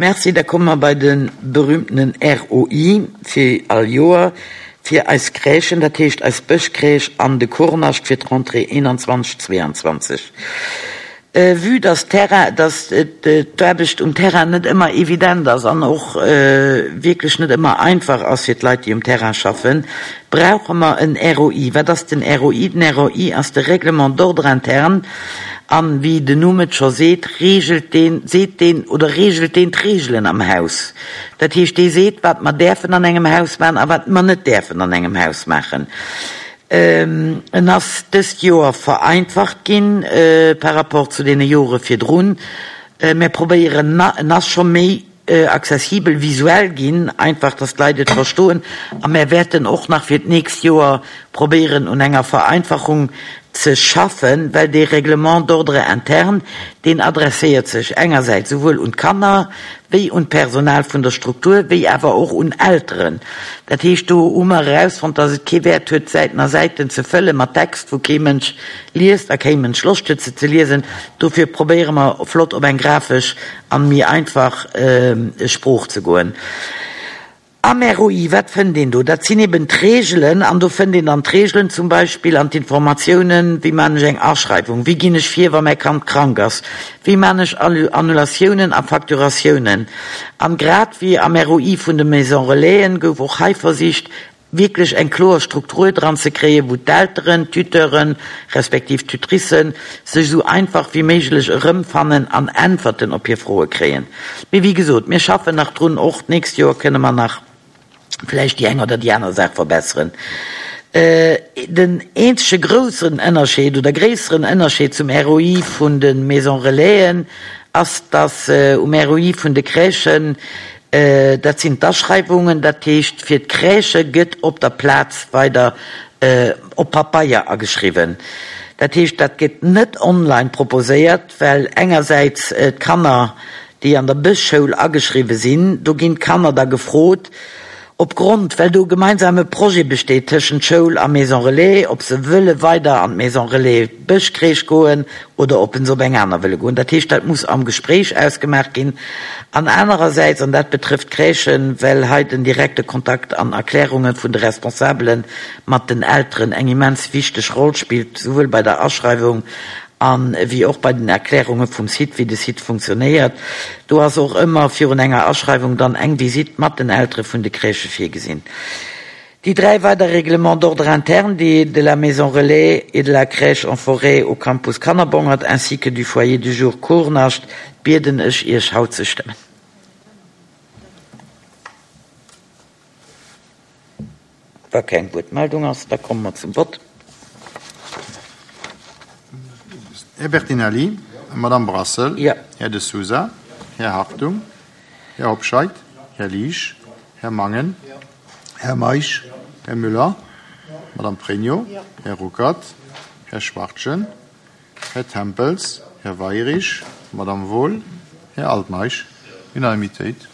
Merci. Da komme mer bei de berühmtenen ROI fir all Joer fir eis Crèchen, dat heescht eis Bëschcrèche an de Kurnascht fir d'Rentrée 21, 22. Vue dass d'Terrain, dass d'Aarbecht um Terrain net ëmmer evident ass an och wierklech net ëmmer einfach ass fir d'Leit, déi um Terrain schaffen, brauche mer en ROI. Wat ass den ROI? Den ROI ass de Règlement d'ordre interne. An wéi den Numm et scho seet, reegelt deen, seet deen oder reegelt deen d'Reegelen am Haus. Dat heescht, dee seet, wat mer däerfen an engem Haus maachen a wat mer net däerfen an engem Haus maachen. En ass dëst Joer vereinfacht ginn par rapport zu deene Jore virdrun. Mir probéieren, en ass scho méi accessibel visuell ginn, einfach dass d'Leit et verstoen. A mär wäerten och nach fir d'nächst Joer probéieren un enger Vereinfachung ze schaffen, well dee Règlement d'ordre interne, deen adresséiert sech engersäits souwuel un d'Kanner wéi un d'Personal vun der Struktur, wéi awer och un Elteren. Dat heescht, do hu mer erausfonnt, dass et kee Wäert huet, Säiten a Säiten ze fëlle mat Text, wou kee Mënsch liest a kee Mënsch Loscht huet, se ze liesen. Dofir probéiere mer flott op eng grafesch an méi einfach Sprooch ze goen. Am ROI, wat fënnt een do? Dat sinn eben d'Reegelen an do fënnt een dann d'Reegelen zum Beispill an d'Informatiounen, wéi man ech eng Aschreiwung, wéi ginn ech vir, wa mäi Kand krank ass, wéi man ech Annulatiounen a Facturatiounen. An grad wéi am ROI vun de Maison Relaisen gouf och hei versicht, wierklech eng kloer Struktur dran ze kréien, wou d'Elteren, d'Tuteuren, respektiv d'Tutricen sech esou einfach wéi méiglech erëmfannen an Äntwerten op hir Froe kréien. Mee wéi gesot, mir schaffen nach drun, och d'nächst Joer kënne mer nach vläicht déi eng oder déi aner Saach verbesseren. Den eenzege groussen Ënnerscheed oder gréisseren Ënnerscheed zum ROI vun de Maisons Relaisen ass, dass um ROI vun de Crèchen Dat sinn d'Aschreiwungen, dat heescht fir d'Crèchë gëtt op der Plaz weider op Papeier ageschriwwen. Dat heescht, dat gëtt net online proposéiert, well engersäits d'Kanner, déi an der Bëschschoul ageschriwwe sinn, do ginn d'Kanner da gefrot, opgrond, well do e gemeinsame Projet besteet tëschent Schoul a Maison Relais, ob se wëlle weider an d'Maison Relais Bëschcrèche goen oder ob se op eng aner wëlle goen. Dat heescht, dat muss am Gespréich ausgemaach ginn. An anerersäits, an dat betrëfft d'Crèchen, well hei den direkte Kontakt an Erklärunge vun de Responsabele mat den Elteren eng immens wichteg Roll spillt, souwuel bei der Aschreiwung a wéi och bei den Erklärunge vum Site, wéi de Site funktionéiert. Do ass och ëmmer virun enger Aschreiwung dann eng Visitt mat den Eltere vun de Crèchë virgesinn. Déi dräi weider Règlements d'ordre interne, déi de la Maison Relais et de la Crèche en forêt au Campus Kannerbongert ainsi que du Foyer du jour Kurnascht, bieden ech Iech haut ze stëmmen. Wa keng Wuertmeldung ass, da komme mer zum Vott. Här Bertinelli, Madamm Brassel, Här De Sousa, Här Hartung, Här Hobscheit, Här Liesch, Här Mangen, Här Meisch, Här Müller, Madamm Pregno, Här Ruckert, Här Schwachtgen, Här Tempels, Här Weirich, Madamm Wohl, Här Altmeisch. Unanimitéit.